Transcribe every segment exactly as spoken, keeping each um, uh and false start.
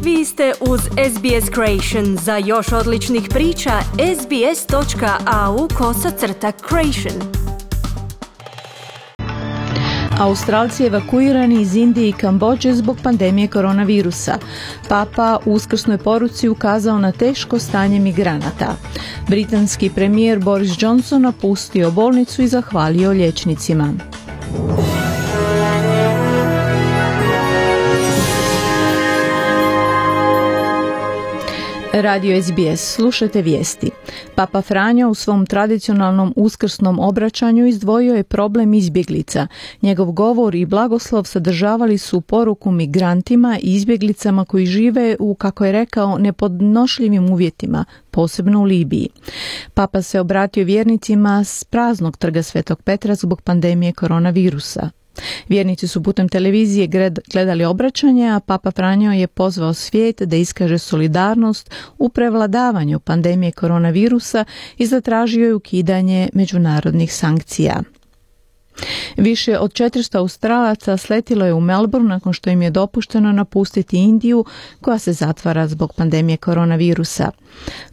Vi ste uz S B S Creation. Za još odličnih priča, sbs.au kosacrta creation. Australci evakuirani iz Indije i Kambodže zbog pandemije koronavirusa. Papa u uskrsnoj poruci ukazao na teško stanje migranata. Britanski premijer Boris Johnson napustio bolnicu i zahvalio liječnicima. Radio S B S, slušajte vijesti. Papa Franjo u svom tradicionalnom uskrsnom obraćanju izdvojio je problem izbjeglica. Njegov govor i blagoslov sadržavali su poruku migrantima i izbjeglicama koji žive u, kako je rekao, nepodnošljivim uvjetima, posebno u Libiji. Papa se obratio vjernicima s praznog trga Svetog Petra zbog pandemije koronavirusa. Vjernici su putem televizije gledali obraćanje, a Papa Franjo je pozvao svijet da iskaže solidarnost u prevladavanju pandemije koronavirusa i zatražio je ukidanje međunarodnih sankcija. Više od četiristo Australaca sletilo je u Melbourne nakon što im je dopušteno napustiti Indiju, koja se zatvara zbog pandemije koronavirusa.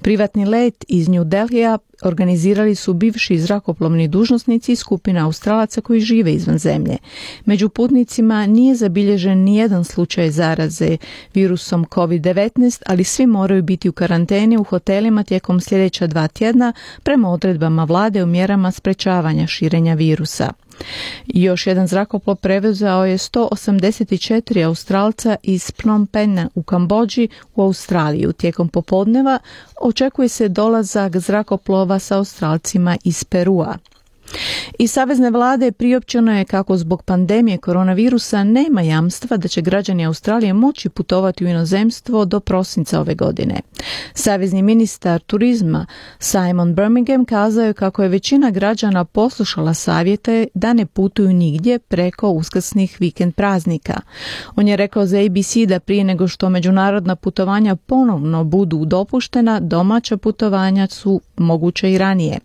Privatni let iz New Delhija organizirali su bivši zrakoplovni dužnosnici i skupina Australaca koji žive izvan zemlje. Među putnicima nije zabilježen nijedan slučaj zaraze virusom kovid devetnaest, ali svi moraju biti u karanteni u hotelima tijekom sljedeća dva tjedna prema odredbama vlade o mjerama sprečavanja širenja virusa. Još jedan zrakoplov prevezao je sto osamdeset četiri Australca iz Phnom Penha u Kambodži u Australiju. Tijekom popodneva očekuje se dolazak zrakoplova sa Australcima iz Perua. Iz savezne vlade priopćeno je kako zbog pandemije koronavirusa nema jamstva da će građani Australije moći putovati u inozemstvo do prosinca ove godine. Savezni ministar turizma Simon Birmingham kazao je kako je većina građana poslušala savjete da ne putuju nigdje preko uskrsnih vikend praznika. On je rekao za A B C da prije nego što međunarodna putovanja ponovno budu dopuštena, domaća putovanja su moguće i ranije.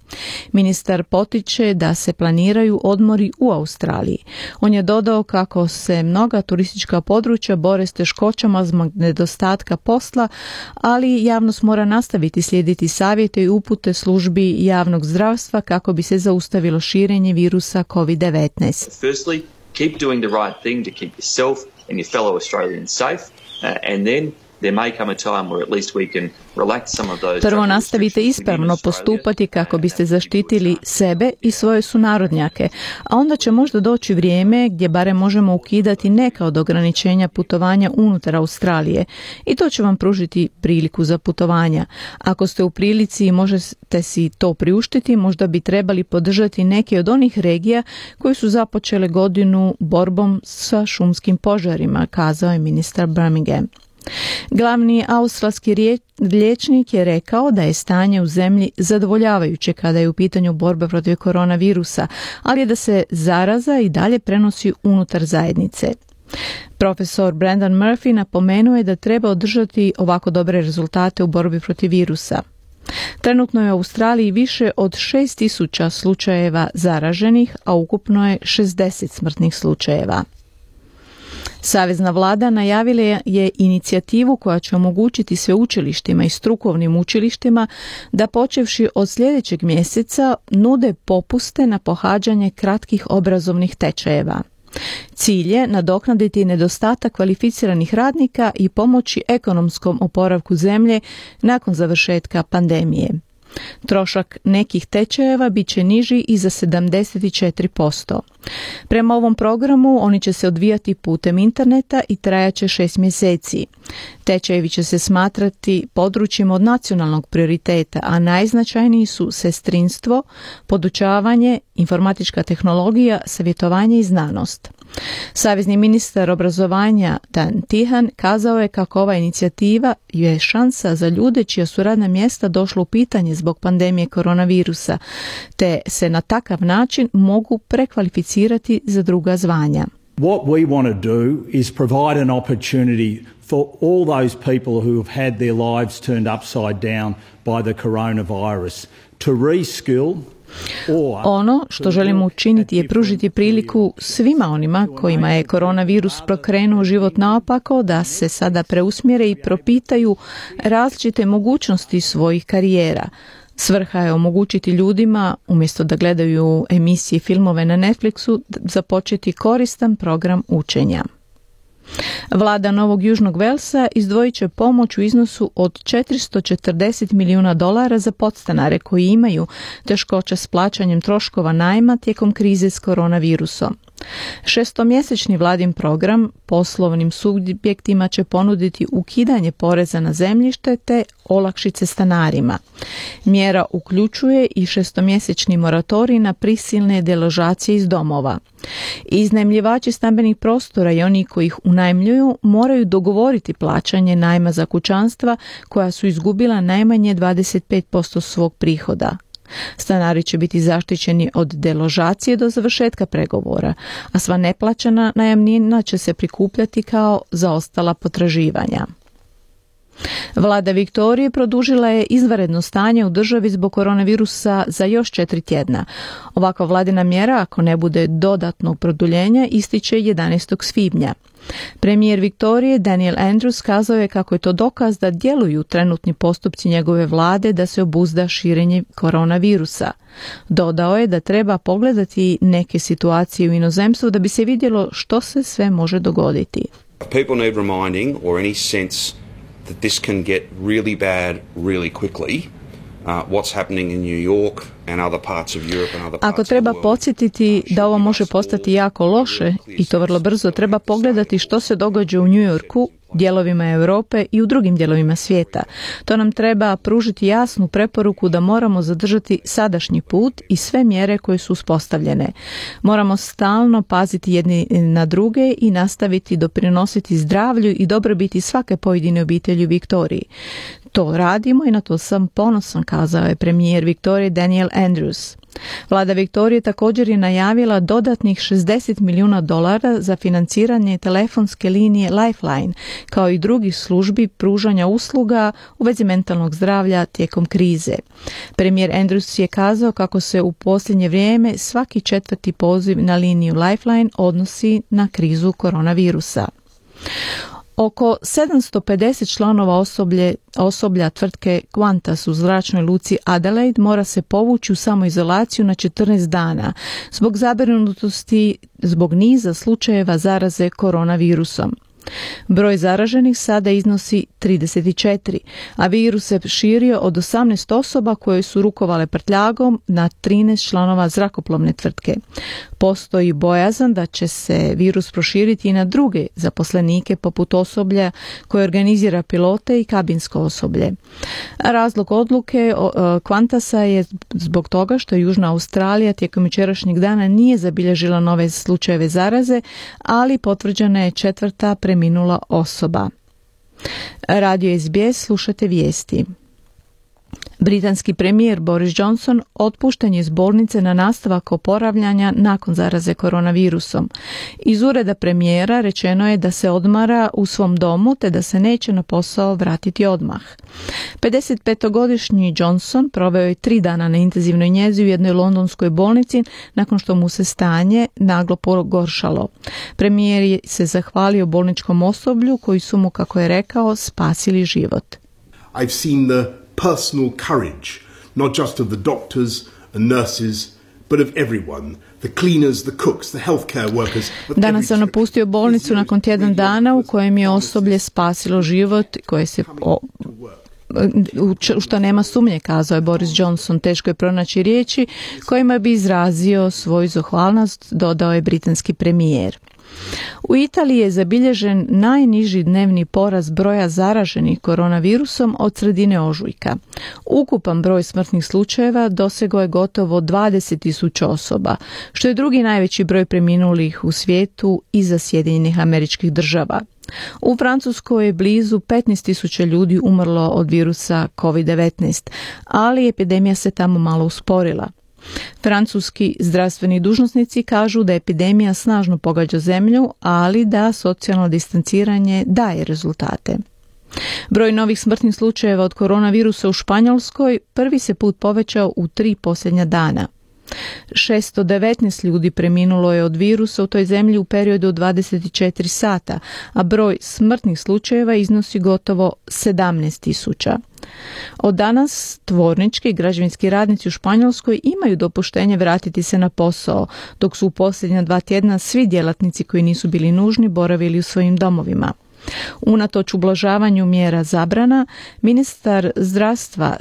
Ministar potiče da se planiraju odmori u Australiji. On je dodao kako se mnoga turistička područja bore s teškoćama zbog nedostatka posla, ali javnost mora nastaviti slijediti savjete i upute službi javnog zdravstva kako bi se zaustavilo širenje virusa kovid devetnaest. Firstly, keep doing the right thing to keep yourself and your fellow Australians safe, uh, and then Prvo nastavite ispravno postupati kako biste zaštitili sebe i svoje sunarodnjake, a onda će možda doći vrijeme gdje barem možemo ukidati neka od ograničenja putovanja unutar Australije i to će vam pružiti priliku za putovanja. Ako ste u prilici i možete si to priuštiti, možda bi trebali podržati neke od onih regija koji su započele godinu borbom sa šumskim požarima, kazao je ministar Birmingham. Glavni australski liječnik je rekao da je stanje u zemlji zadovoljavajuće kada je u pitanju borba protiv koronavirusa, ali je da se zaraza i dalje prenosi unutar zajednice. Profesor Brendan Murphy napomenuo je da treba održati ovako dobre rezultate u borbi protiv virusa. Trenutno je u Australiji više od šest tisuća slučajeva zaraženih, a ukupno je šezdeset smrtnih slučajeva. Savezna vlada najavila je inicijativu koja će omogućiti sveučilištima i strukovnim učilištima da počevši od sljedećeg mjeseca nude popuste na pohađanje kratkih obrazovnih tečajeva. Cilj je nadoknaditi nedostatak kvalificiranih radnika i pomoći ekonomskom oporavku zemlje nakon završetka pandemije. Trošak nekih tečajeva bit će niži i za sedamdeset četiri posto. Prema ovom programu oni će se odvijati putem interneta i trajaće šest mjeseci. Tečajevi će se smatrati područjima od nacionalnog prioriteta, a najznačajniji su sestrinstvo, podučavanje, informatička tehnologija, savjetovanje i znanost. Savezni ministar obrazovanja Dan Tehan kazao je kako ova inicijativa je šansa za ljude čija su radna mjesta došla u pitanje zbog pandemije koronavirusa, te se na takav način mogu prekvalificirati za druga zvanja. What we want to do is provide an opportunity for all those people who have had their lives turned upside down by the coronavirus to reskill Ono što želimo učiniti je pružiti priliku svima onima kojima je koronavirus prokrenuo život naopako da se sada preusmjere i propitaju različite mogućnosti svojih karijera. Svrha je omogućiti ljudima, umjesto da gledaju emisije i filmove na Netflixu, započeti koristan program učenja. Vlada Novog Južnog Velsa izdvojit će pomoć u iznosu od četiristo četrdeset milijuna dolara za podstanare koji imaju teškoća s plaćanjem troškova najma tijekom krize s koronavirusom. Šestomjesečni vladin program poslovnim subjektima će ponuditi ukidanje poreza na zemljište te olakšice stanarima. Mjera uključuje i šestomjesečni moratorij na prisilne deložacije iz domova. Iznajmljivači stambenih prostora i oni koji ih unajmljuju moraju dogovoriti plaćanje najma za kućanstva koja su izgubila najmanje dvadeset pet posto svog prihoda. Stanari će biti zaštićeni od deložacije do završetka pregovora, a sva neplaćena najamnina će se prikupljati kao zaostala potraživanja. Vlada Viktorije produžila je izvanredno stanje u državi zbog koronavirusa za još četiri tjedna. Ovakva vladina mjera, ako ne bude dodatnog produljenja, ističe jedanaestog svibnja. Premijer Viktorije Daniel Andrews kazao je kako je to dokaz da djeluju trenutni postupci njegove vlade da se obuzda širenje koronavirusa. Dodao je da treba pogledati neke situacije u inozemstvu da bi se vidjelo što se sve može dogoditi. People need reminding or any sense that this can get really bad really quickly. Uh, what's happening in New York and other parts of Europe and other parts Ako treba podsjetiti da ovo može postati jako loše i to vrlo brzo, treba pogledati što se događa u New Yorku, dijelovima Europe i u drugim dijelovima svijeta. To nam treba pružiti jasnu preporuku da moramo zadržati sadašnji put i sve mjere koje su uspostavljene. Moramo stalno paziti jedni na druge i nastaviti doprinositi zdravlju i dobrobiti svake pojedine obitelji u Viktoriji. To radimo i na to sam ponosan, kazao je premijer Viktorije Daniel Andrews. Vlada Viktorije također je najavila dodatnih šezdeset milijuna dolara za financiranje telefonske linije Lifeline, kao i drugih službi pružanja usluga u vezi mentalnog zdravlja tijekom krize. Premijer Andrews je kazao kako se u posljednje vrijeme svaki četvrti poziv na liniju Lifeline odnosi na krizu koronavirusa. Oko sedamsto pedeset članova osoblje, osoblja tvrtke Qantas u zračnoj luci Adelaide mora se povući u samoizolaciju na četrnaest dana zbog zabrinutosti zbog niza slučajeva zaraze koronavirusom. Broj zaraženih sada iznosi trideset četiri, a virus se širio od osamnaest osoba koje su rukovale prtljagom na trinaest članova zrakoplovne tvrtke. Postoji bojazan da će se virus proširiti i na druge zaposlenike poput osoblja koje organizira pilote i kabinsko osoblje. Razlog odluke Qantasa je zbog toga što Južna Australija tijekom jučerašnjeg dana nije zabilježila nove slučajeve zaraze, ali potvrđena je četvrta preminula osoba. Radio S B S, slušate vijesti. Britanski premijer Boris Johnson otpušten je iz bolnice na nastavak oporavljanja nakon zaraze koronavirusom. Iz ureda premijera rečeno je da se odmara u svom domu te da se neće na posao vratiti odmah. pedesetpetogodišnji Johnson proveo je tri dana na intenzivnoj njezi u jednoj londonskoj bolnici nakon što mu se stanje naglo pogoršalo. Premijer se zahvalio bolničkom osoblju koji su mu, kako je rekao, spasili život. I've seen the personal courage, not just of the doctors and nurses, but of everyone, the cleaners, the cooks, the healthcare workers. Danas sam napustio bolnicu nakon tjedan dana u kojem je osoblje spasilo život, koje se o, u što nema sumnje, kazao je Boris Johnson. Teško je pronaći riječi kojima bi izrazio svoju zahvalnost, dodao je britanski premijer. U Italiji je zabilježen najniži dnevni porast broja zaraženih koronavirusom od sredine ožujka. Ukupan broj smrtnih slučajeva dosegao je gotovo dvadeset tisuća osoba, što je drugi najveći broj preminulih u svijetu iza Sjedinjenih Američkih Država. U Francuskoj je blizu petnaest tisuća ljudi umrlo od virusa kovid devetnaest, ali epidemija se tamo malo usporila. Francuski zdravstveni dužnosnici kažu da epidemija snažno pogađa zemlju, ali da socijalno distanciranje daje rezultate. Broj novih smrtnih slučajeva od koronavirusa u Španjolskoj prvi se put povećao u tri posljednja dana. šesto devetnaest ljudi preminulo je od virusa u toj zemlji u periodu od dvadeset četiri sata, a broj smrtnih slučajeva iznosi gotovo sedamnaest tisuća. Od danas tvornički i građevinski radnici u Španjolskoj imaju dopuštenje vratiti se na posao, dok su u posljednja dva tjedna svi djelatnici koji nisu bili nužni boravili u svojim domovima. Unatoč ublažavanju mjera zabrana, ministar zdravstva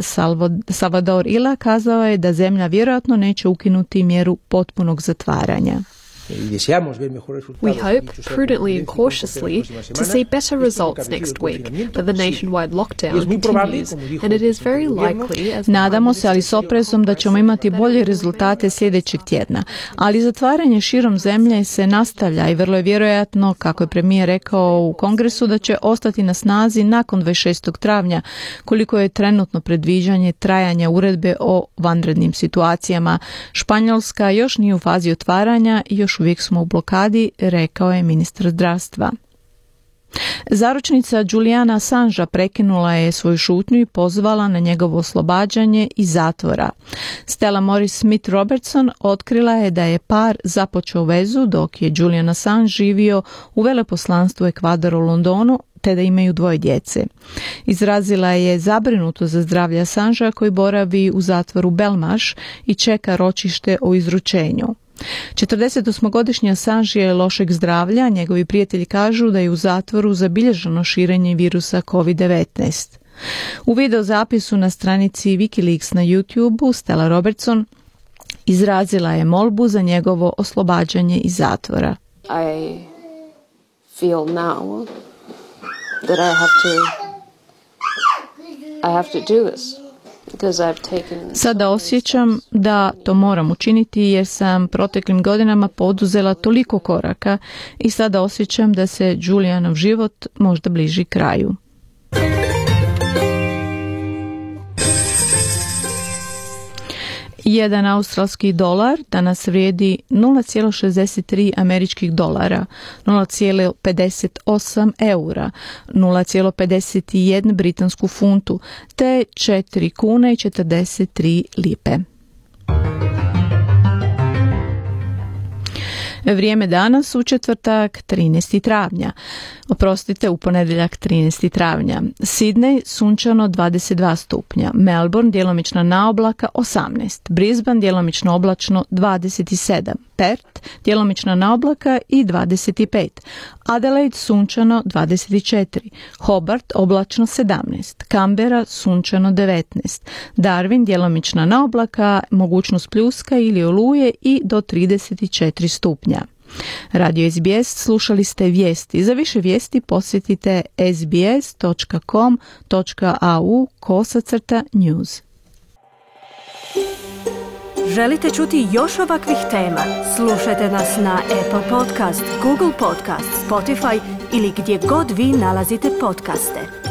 Salvador Illa kazao je da zemlja vjerojatno neće ukinuti mjeru potpunog zatvaranja. We hope, prudently and cautiously, to see better results next week, but the nationwide lockdown continues, and it is very likely as... Nadamo se, ali s oprezom, da ćemo imati bolje rezultate sljedećeg tjedna, ali zatvaranje širom zemlje se nastavlja i vrlo je vjerojatno, kako je premijer rekao u Kongresu, da će ostati na snazi nakon dvadeset šestog travnja, koliko je trenutno predviđanje trajanja uredbe o vanrednim situacijama. Španjolska još nije u fazi otvaranja i još uvijek smo u blokadi, rekao je ministar zdravstva. Zaručnica Juliana Assangea prekinula je svoju šutnju i pozvala na njegovo oslobađanje iz zatvora. Stella Morris Smith Robertson otkrila je da je par započeo vezu dok je Julian Assange živio u veleposlanstvu Ekvadora u Londonu, te da imaju dvoje djece. Izrazila je zabrinuto za zdravlje Assangea koji boravi u zatvoru Belmarsh i čeka ročište o izručenju. četrdesetosmogodišnji Assange je lošeg zdravlja, njegovi prijatelji kažu da je u zatvoru zabilježeno širenje virusa kovid devetnaest. U videozapisu na stranici Wikileaks na YouTubeu Stella Robertson izrazila je molbu za njegovo oslobađanje iz zatvora. I feel now that I have to I have to do this. Sada osjećam da to moram učiniti jer sam proteklim godinama poduzela toliko koraka i sada osjećam da se Julianov život možda bliži kraju. Jedan australski dolar danas vrijedi nula zarez šezdeset tri američkih dolara, nula zarez pedeset osam eura, nula zarez pedeset jedan britansku funtu te četiri kune i četrdeset tri lipe. Vrijeme danas u četvrtak trinaestog travnja. Oprostite, u ponedjeljak trinaestog travnja. Sidney sunčano dvadeset dva stupnja, Melbourne djelomična naoblaka osamnaest, Brisbane djelomično oblačno dvadeset sedam, Perth djelomična naoblaka i dvadeset pet, Adelaide sunčano dvadeset četiri, Hobart oblačno sedamnaest, Canberra sunčano devetnaest, Darwin djelomična naoblaka, mogućnost pljuska ili oluje i do trideset četiri stupnja. Radio S B S, slušali ste vijesti. Za više vijesti posjetite sbs točka com točka a u kosacrta news. Želite čuti još ovakvih tema? Slušajte nas na Apple Podcast, Google Podcast, Spotify ili gdje god vi nalazite podcaste.